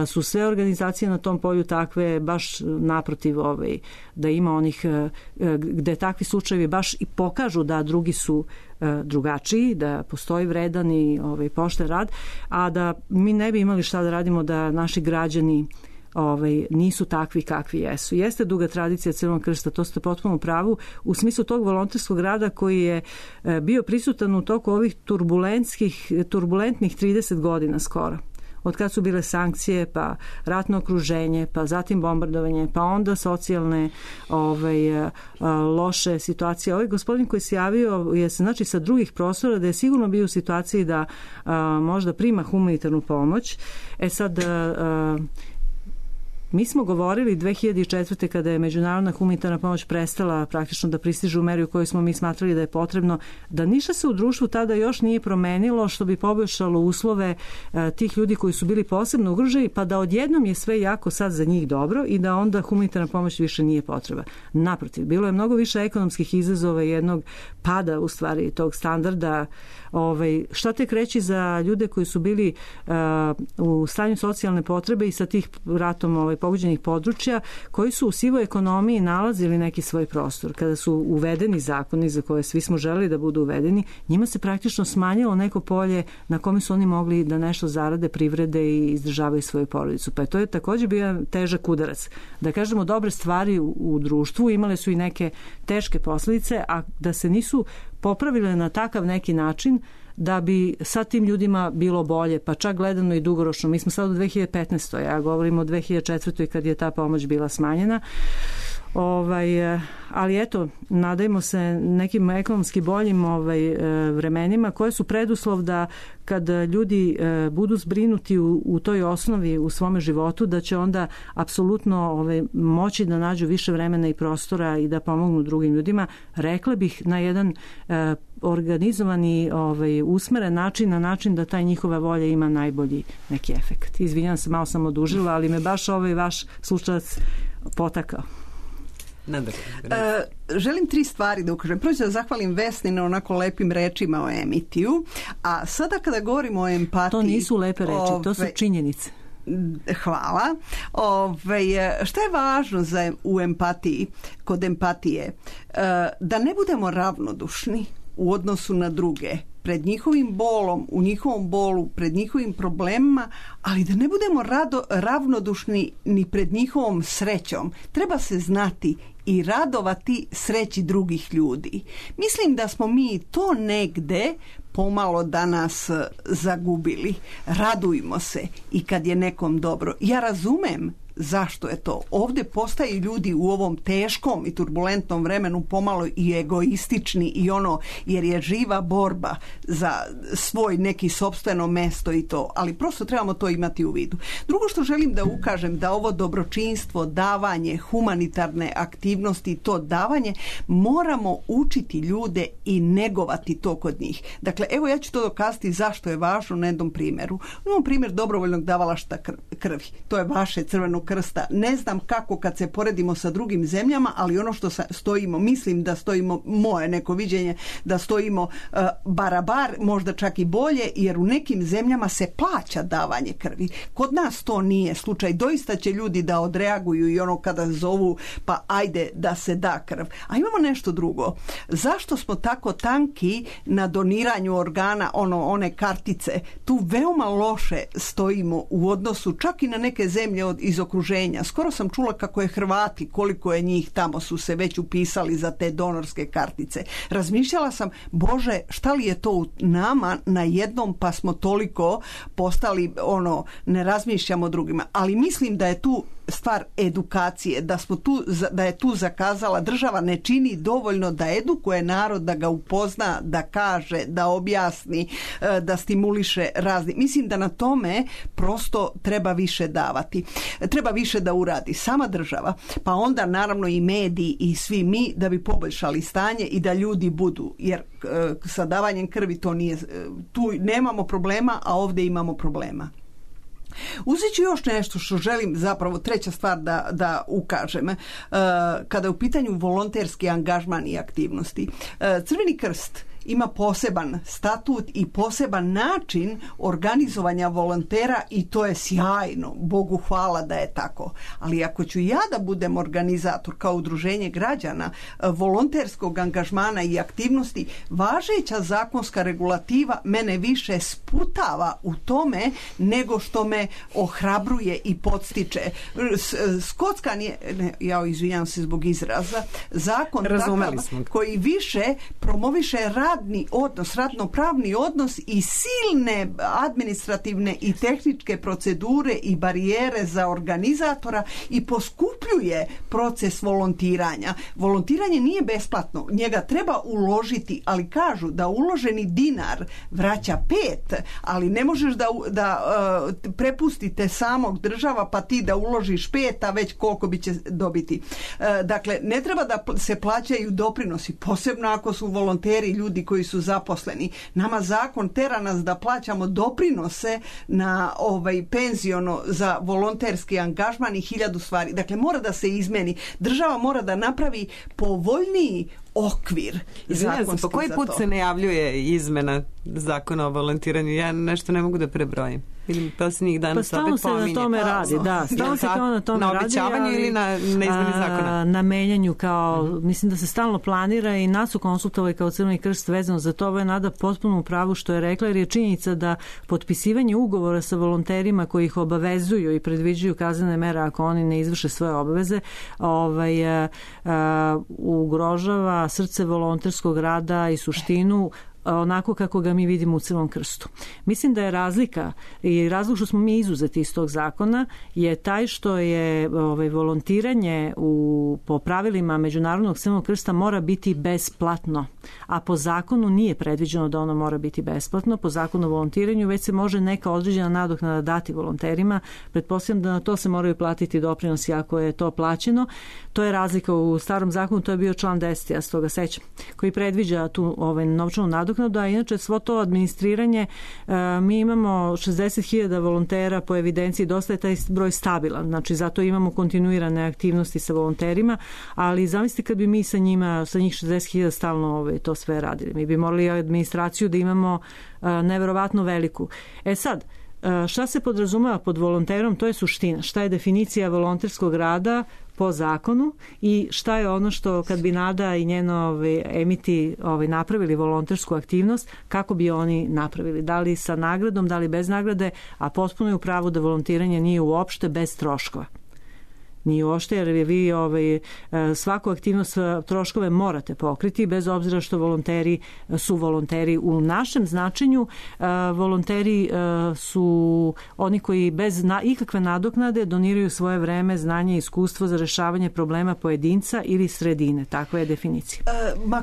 su sve organizacije na tom polju takve, baš naprotiv da ima onih gde takvi slučajevi baš i pokažu da drugi su drugačiji, da postoji vredan i pošten rad, a da mi ne bi imali šta da radimo da naši građani nisu takvi kakvi jesu. Jeste duga tradicija Crvenog krsta, to ste potpuno u pravu, u smislu tog volonterskog rada koji je bio prisutan u toku ovih turbulentnih 30 godina skoro. Od kad su bile sankcije, pa ratno okruženje, pa zatim bombardovanje, pa onda socijalne loše situacije. Ovaj gospodin koji se javio je znači sa drugih prostora da je sigurno bio u situaciji da možda prima humanitarnu pomoć. Sad mi smo govorili 2004. kada je međunarodna humanitarna pomoć prestala praktično da pristiže u meri u kojoj smo mi smatrali da je potrebno, da ništa se u društvu tada još nije promenilo što bi poboljšalo uslove tih ljudi koji su bili posebno ugroženi, pa da odjednom je sve jako sad za njih dobro i da onda humanitarna pomoć više nije potreba. Naprotiv, bilo je mnogo više ekonomskih izazova i jednog pada u stvari tog standarda. Šta tek reći za ljude koji su bili u stanju socijalne potrebe i sa tih ratom pogođenih područja, koji su u sivoj ekonomiji nalazili neki svoj prostor. Kada su uvedeni zakoni za koje svi smo želeli da budu uvedeni, njima se praktično smanjilo neko polje na kome su oni mogli da nešto zarade, privrede i izdržavaju svoju porodicu. Pa to je također bio težak udarac. Da kažemo, dobre stvari u društvu imale su i neke teške posljedice, a da se nisu popravile na takav neki način da bi sad tim ljudima bilo bolje, pa čak gledano i dugoročno. Mi smo sad u 2015. Ja govorim o 2004. kad je ta pomoć bila smanjena. Ali eto, nadajmo se nekim ekonomski boljim vremenima koje su preduslov da kad ljudi budu zbrinuti u toj osnovi u svome životu, da će onda apsolutno moći da nađu više vremena i prostora i da pomognu drugim ljudima. Rekla bih na jedan organizovani, usmeren način, na način da taj njihova volja ima najbolji neki efekt. Izvinjam se, malo sam odužila, ali me baš vaš slučajac potakao. Želim 3 stvari da ukažem. Prvo da zahvalim Vesni na onako lepim rečima o Emitiju, a sada kada govorimo o empatiji... To nisu lepe reči, to su činjenice. Hvala. Šta je važno u empatiji, kod empatije? Da ne budemo ravnodušni u odnosu na druge, pred njihovim bolom, u njihovom bolu, pred njihovim problemima, ali da ne budemo ravnodušni ni pred njihovom srećom. Treba se znati i radovati sreći drugih ljudi. Mislim da smo mi to negde pomalo danas zagubili. Radujmo se i kad je nekom dobro. Ja razumem zašto je to. Ovdje postaju ljudi u ovom teškom i turbulentnom vremenu pomalo i egoistični i jer je živa borba za svoj neki sopstveno mesto i to, ali prosto trebamo to imati u vidu. Drugo što želim da ukažem, da ovo dobročinstvo, davanje, humanitarne aktivnosti, to davanje, moramo učiti ljude i negovati to kod njih. Dakle, evo ja ću to dokazati zašto je važno na jednom primjeru. Imamo primjer dobrovoljnog davalaštva krvi. To je vaše Crvenog krsta. Ne znam kako kad se poredimo sa drugim zemljama, ali ono što stojimo, mislim da stojimo, moje neko viđenje, da stojimo barabar, možda čak i bolje, jer u nekim zemljama se plaća davanje krvi. Kod nas to nije slučaj. Doista će ljudi da odreaguju i kada zovu, pa ajde da se da krv. A imamo nešto drugo. Zašto smo tako tanki na doniranju organa, one kartice? Tu veoma loše stojimo u odnosu čak i na neke zemlje iz okruženja. Skoro sam čula kako je Hrvati, koliko je njih tamo su se već upisali za te donorske kartice. Razmišljala sam, Bože, šta li je to u nama na jednom, pa smo toliko postali, ne razmišljamo drugima. Ali mislim da je tu stvar edukacije, da je tu zakazala, država ne čini dovoljno da edukuje narod, da ga upozna, da kaže, da objasni, da stimuliše razni. Mislim da na tome prosto treba više davati. Treba više da uradi sama država, pa onda naravno i mediji i svi mi, da bi poboljšali stanje i da ljudi budu, jer sa davanjem krvi to nije, tu nemamo problema, a ovdje imamo problema. Uzet ću još nešto što želim, zapravo treća stvar da ukažem, kada je u pitanju volonterski angažman i aktivnosti. Crveni krst ima poseban statut i poseban način organizovanja volontera i to je sjajno. Bogu hvala da je tako. Ali ako ću ja da budem organizator kao udruženje građana volonterskog angažmana i aktivnosti, važeća zakonska regulativa mene više sputava u tome nego što me ohrabruje i podstiče. Skotska nije, ja izvinjam se zbog izraza, zakon takav koji više promoviše radni odnos, radnopravni odnos i silne administrativne i tehničke procedure i barijere za organizatora i poskupljuje proces volontiranja. Volontiranje nije besplatno, njega treba uložiti, ali kažu da uloženi dinar vraća 5, ali ne možeš da prepustite samog država pa ti da uložiš 5, a već koliko bi će dobiti. Dakle, ne treba da se plaćaju doprinosi, posebno ako su volonteri ljudi koji su zaposleni. Nama zakon tera nas da plaćamo doprinose na penziono za volonterski angažman i 1000 stvari. Dakle, mora da se izmeni. Država mora da napravi povoljniji okvir. Izvinjam se, po koji put se najavljuje izmena zakona o volontiranju? Ja nešto ne mogu da prebrojim. Ili posljednjih dana se opet pominje. Na tome radi, da. Stalno se kao na tome radi. Na obećavanju ili na izmeni zakona? Na menjanju kao, mislim da se stalno planira i nas su konsultovali kao Crveni krst vezano za to. Ovo je Nada potpuno u pravu što je rekla, jer je činjenica da potpisivanje ugovora sa volonterima koji ih obavezuju i predviđaju kaznene mere ako oni ne izvrše svoje obaveze, ugrožava srce volonterskog rada i suštinu onako kako ga mi vidimo u Crvenom krstu. Mislim da je razlika i razlog što smo mi izuzeti iz tog zakona je taj što je volontiranje po pravilima Međunarodnog Crvenog krsta mora biti besplatno, a po zakonu nije predviđeno da ono mora biti besplatno. Po zakonu o volontiranju već se može neka određena nadoknada dati volonterima. Pretpostavljam da na to se moraju platiti doprinosi ako je to plaćeno. To je razlika u starom zakonu, to je bio član 10, ja se toga sećam, koji predviđa tu novčanu nadoknadu, a inače svo to administriranje, mi imamo 60.000 volontera po evidenciji, dosta je taj broj stabilan, znači zato imamo kontinuirane aktivnosti sa volonterima, ali zamislite kad bi mi sa njih 60.000 stalno to sve radili. Mi bi morali administraciju da imamo neverovatno veliku. Sad, šta se podrazumeva pod volonterom, to je suština. Šta je definicija volonterskog rada po zakonu i šta je ono što kad bi Nada i njeno emiti napravili volontersku aktivnost, kako bi oni napravili? Da li sa nagradom, da li bez nagrade, a potpuno je u pravu da volontiranje nije uopšte bez troškova. Nije uopšte, jer vi svaku aktivnost troškove morate pokriti, bez obzira što volonteri su volonteri. U našem značenju volonteri su oni koji bez ikakve nadoknade doniraju svoje vreme, znanje i iskustvo za rešavanje problema pojedinca ili sredine. Takva je definicija.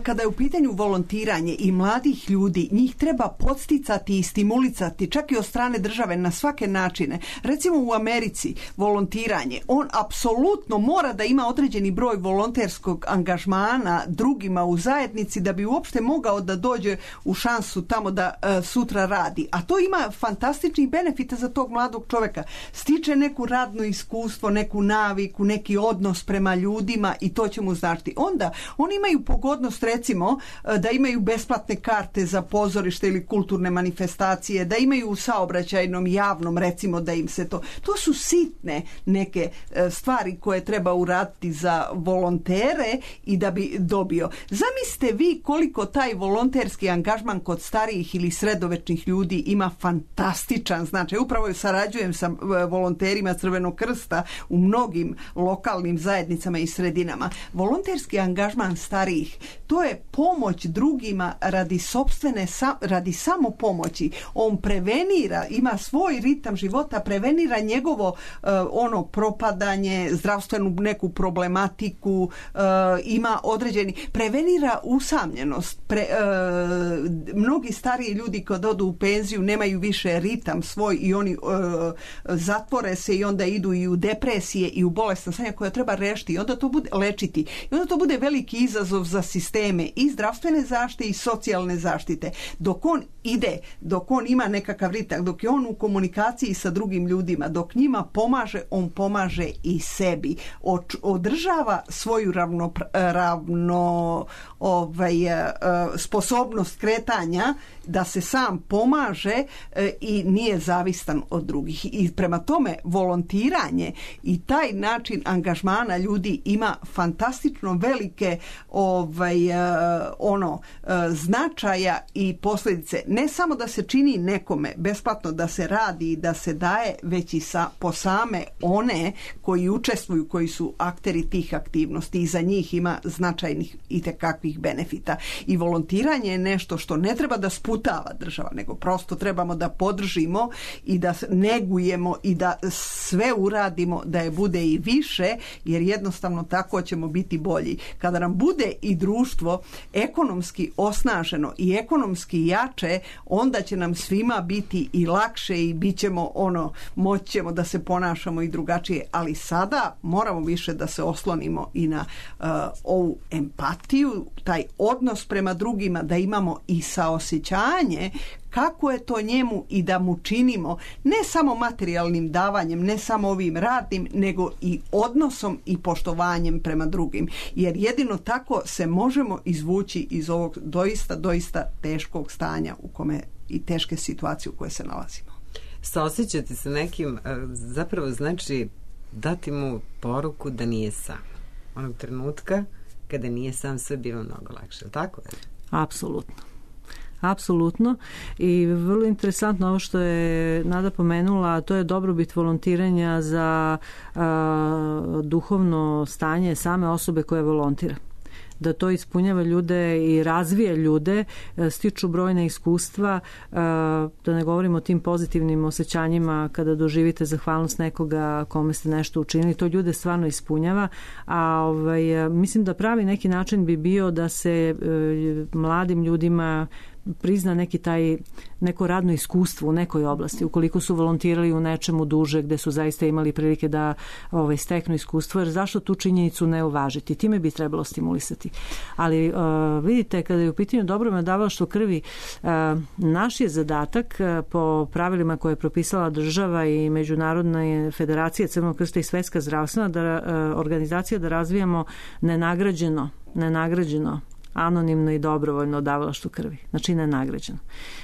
Kada je u pitanju volontiranje i mladih ljudi, njih treba podsticati i stimulicati, čak i od strane države na svake načine. Recimo u Americi volontiranje, on apsolutno mora da ima određeni broj volonterskog angažmana drugima u zajednici da bi uopšte mogao da dođe u šansu tamo da sutra radi. A to ima fantastičnih benefita za tog mladog čoveka. Stiče neku radno iskustvo, neku naviku, neki odnos prema ljudima i to će mu značiti. Onda oni imaju pogodnost, recimo, da imaju besplatne karte za pozorište ili kulturne manifestacije, da imaju u saobraćajnom javnom, recimo, da im se to... To su sitne neke stvari koje treba uraditi za volontere i da bi dobio. Zamislite vi koliko taj volonterski angažman kod starijih ili sredovečnih ljudi ima fantastičan značaj. Upravo sarađujem sa volonterima Crvenog krsta u mnogim lokalnim zajednicama i sredinama. Volonterski angažman starijih, to je pomoć drugima radi samo pomoći. On prevenira, ima svoj ritam života, prevenira njegovo propadanje, zdravstvenu neku problematiku, ima određeni, prevenira usamljenost. Mnogi stariji ljudi kad odu u penziju nemaju više ritam svoj i oni zatvore se i onda idu i u depresije i u bolesna stanja koja treba rešiti i onda to bude lečiti. I onda to bude veliki izazov za sisteme i zdravstvene zaštite i socijalne zaštite. Dok on ide, dok on ima nekakav ritam, dok je on u komunikaciji sa drugim ljudima, dok njima pomaže, on pomaže i sebi, održava svoju sposobnost kretanja, da se sam pomaže i nije zavistan od drugih. I prema tome volontiranje i taj način angažmana ljudi ima fantastično velike značaja i posljedice. Ne samo da se čini nekome besplatno, da se radi i da se daje, već i po same one koji učestvuju, koji su akteri tih aktivnosti, i za njih ima značajnih itekakvih benefita. I volontiranje je nešto što ne treba da sputava država, nego prosto trebamo da podržimo i da negujemo i da sve uradimo da je bude i više, jer jednostavno tako ćemo biti bolji. Kada nam bude i društvo ekonomski osnaženo i ekonomski jače, onda će nam svima biti i lakše i bit ćemo moći ćemo da se ponašamo i drugačije, ali sada moramo više da se oslonimo i na ovu empatiju, taj odnos prema drugima, da imamo i saosjećanje kako je to njemu i da mu činimo ne samo materijalnim davanjem, ne samo ovim radnim, nego i odnosom i poštovanjem prema drugim. Jer jedino tako se možemo izvući iz ovog doista teškog stanja u kome i teške situacije u kojoj se nalazimo. Saosjećati se nekim zapravo znači dati mu poruku da nije sam. Onog trenutka kada nije sam, sve bilo mnogo lakše. Tako je? Apsolutno. I vrlo interesantno ovo što je Nada pomenula, to je dobrobit volontiranja za duhovno stanje same osobe koja volontira. Da to ispunjava ljude i razvija ljude, stiču brojne iskustva, da ne govorimo o tim pozitivnim osjećanjima kada doživite zahvalnost nekoga kome ste nešto učinili, to ljude stvarno ispunjava, a mislim da pravi neki način bi bio da se mladim ljudima prizna neko radno iskustvo u nekoj oblasti, ukoliko su volontirali u nečemu duže, gde su zaista imali prilike da steknu iskustvo, jer zašto tu činjenicu ne uvažiti? Time bi trebalo stimulisati. Ali vidite, kada je u pitanju dobrovoljno davalaštvo krvi, naš je zadatak po pravilima koje je propisala država i Međunarodna federacija Crvenog krsta i Svetska zdravstvena organizacija, da razvijamo nenagrađeno anonimno i dobrovoljno davalaštvo krvi. Znači nenagrađeno.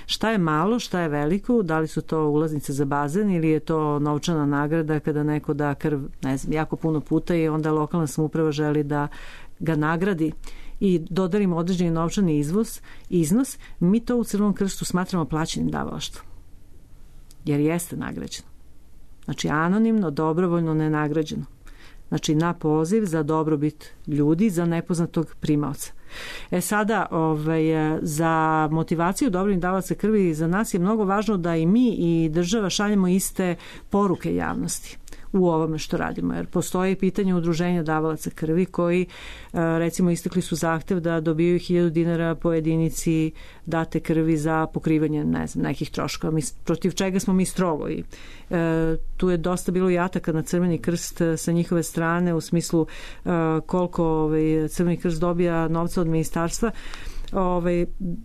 Šta je malo, šta je veliko, da li su to ulaznice za bazen ili je to novčana nagrada kada neko da krv, ne znam, jako puno puta i onda lokalna samouprava želi da ga nagradi i dodarimo određeni novčani iznos, mi to u Crvenom krstu smatramo plaćenim davalaštvom. Jer jeste nagrađeno. Znači anonimno, dobrovoljno, nenagrađeno. Znači na poziv za dobrobit ljudi, za nepoznatog primaoca. Sada, za motivaciju dobrovoljnih davalaca krvi za nas je mnogo važno da i mi i država šaljemo iste poruke javnosti u ovome što radimo, jer postoje pitanje udruženja davalaca krvi koji recimo istakli su zahtev da dobiju 1000 dinara po jedinici date krvi za pokrivanje nekih troškova, protiv čega smo mi strogo i tu je dosta bilo i ataka na Crveni krst sa njihove strane u smislu koliko Crveni krst dobija novca od ministarstva.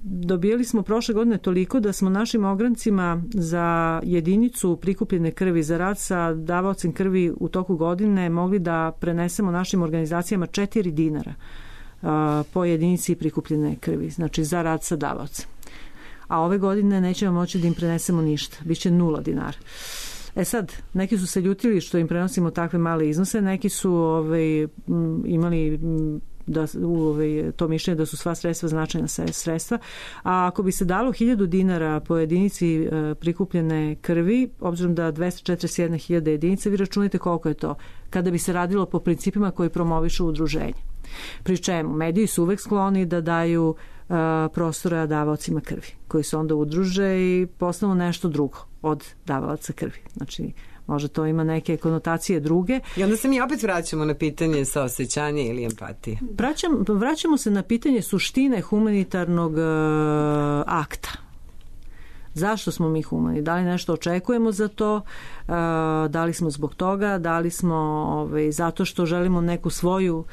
Dobijali smo prošle godine toliko da smo našim ograncima za jedinicu prikupljene krvi za rad sa davaocem krvi u toku godine mogli da prenesemo našim organizacijama 4 dinara po jedinici prikupljene krvi, znači za rad sa davaocem. A ove godine nećemo moći da im prenesemo ništa, biće 0 dinara. Sad, neki su se ljutili što im prenosimo takve male iznose, neki su imali to mišljenje da su sva sredstva značajna sredstva, a ako bi se dalo 1000 dinara po jedinici prikupljene krvi, obzirom da 241.000 jedinica, vi računajte koliko je to kada bi se radilo po principima koji promovišu udruženje. Pri čemu mediji su uvek skloni da daju prostora davaocima krvi, koji se onda udruže i postanu nešto drugo od davalaca krvi. Znači, možda to ima neke konotacije druge. I onda se mi opet vraćamo na pitanje saosećanja ili empatije. Vraćamo se na pitanje suštine humanitarnog akta. Zašto smo mi humani? Da li nešto očekujemo za to? da li smo zbog toga, da li smo zato što želimo neku svoju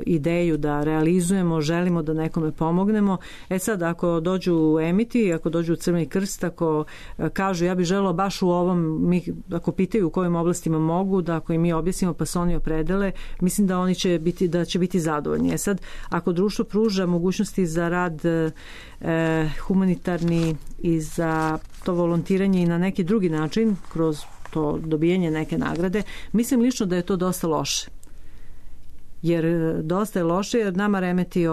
ideju da realizujemo, želimo da nekome pomognemo. Sad, ako dođu Emiti, ako dođu u Crveni krst, ako kažu ja bih želeo baš u ovom, ako pitaju u kojim oblastima mogu, da ako im mi objasnimo pa se oni opredele, mislim da oni će biti zadovoljni. Sad, ako društvo pruža mogućnosti za rad humanitarni i za to volontiranje i na neki drugi način, kroz to dobijanje neke nagrade, mislim lično da je to dosta loše. Jer dosta je loše, jer nama remeti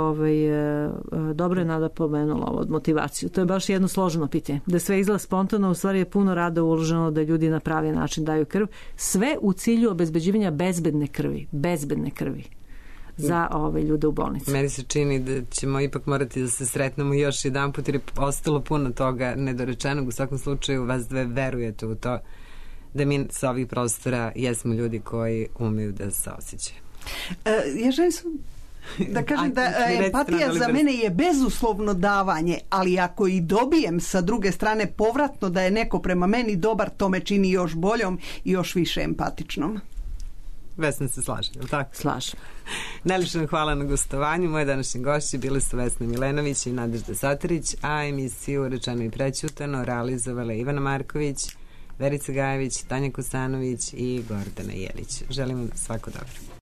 dobro je Nada pomenula ovo od motivaciju. To je baš jedno složeno pitanje. Da sve izgleda spontano, u stvari je puno rada uloženo da ljudi na pravi način daju krv. Sve u cilju obezbeđivanja bezbedne krvi za ove ljude u bolnici. Meni se čini da ćemo ipak morati da se sretnemo još jedan put, jer je ostalo puno toga nedorečenog. U svakom slučaju vas dve verujete u to da mi sa ovih prostora jesmo ljudi koji umeju da se osjećaju. Ja želim da kažem da empatija za mene je bezuslovno davanje, ali ako i dobijem sa druge strane povratno da je neko prema meni dobar, to me čini još boljom i još više empatičnom. Vesna se slaže, je li tako? Slažem. Najljepše hvala na gostovanju. Moje današnje gošće bile su Vesna Milenović i Nadežda Satarić, a emisiju Rečeno i prećutano realizovala Ivana Marković, Verica Gajević, Tanja Kosanović i Gordana Jelić. Želim vam svako dobro.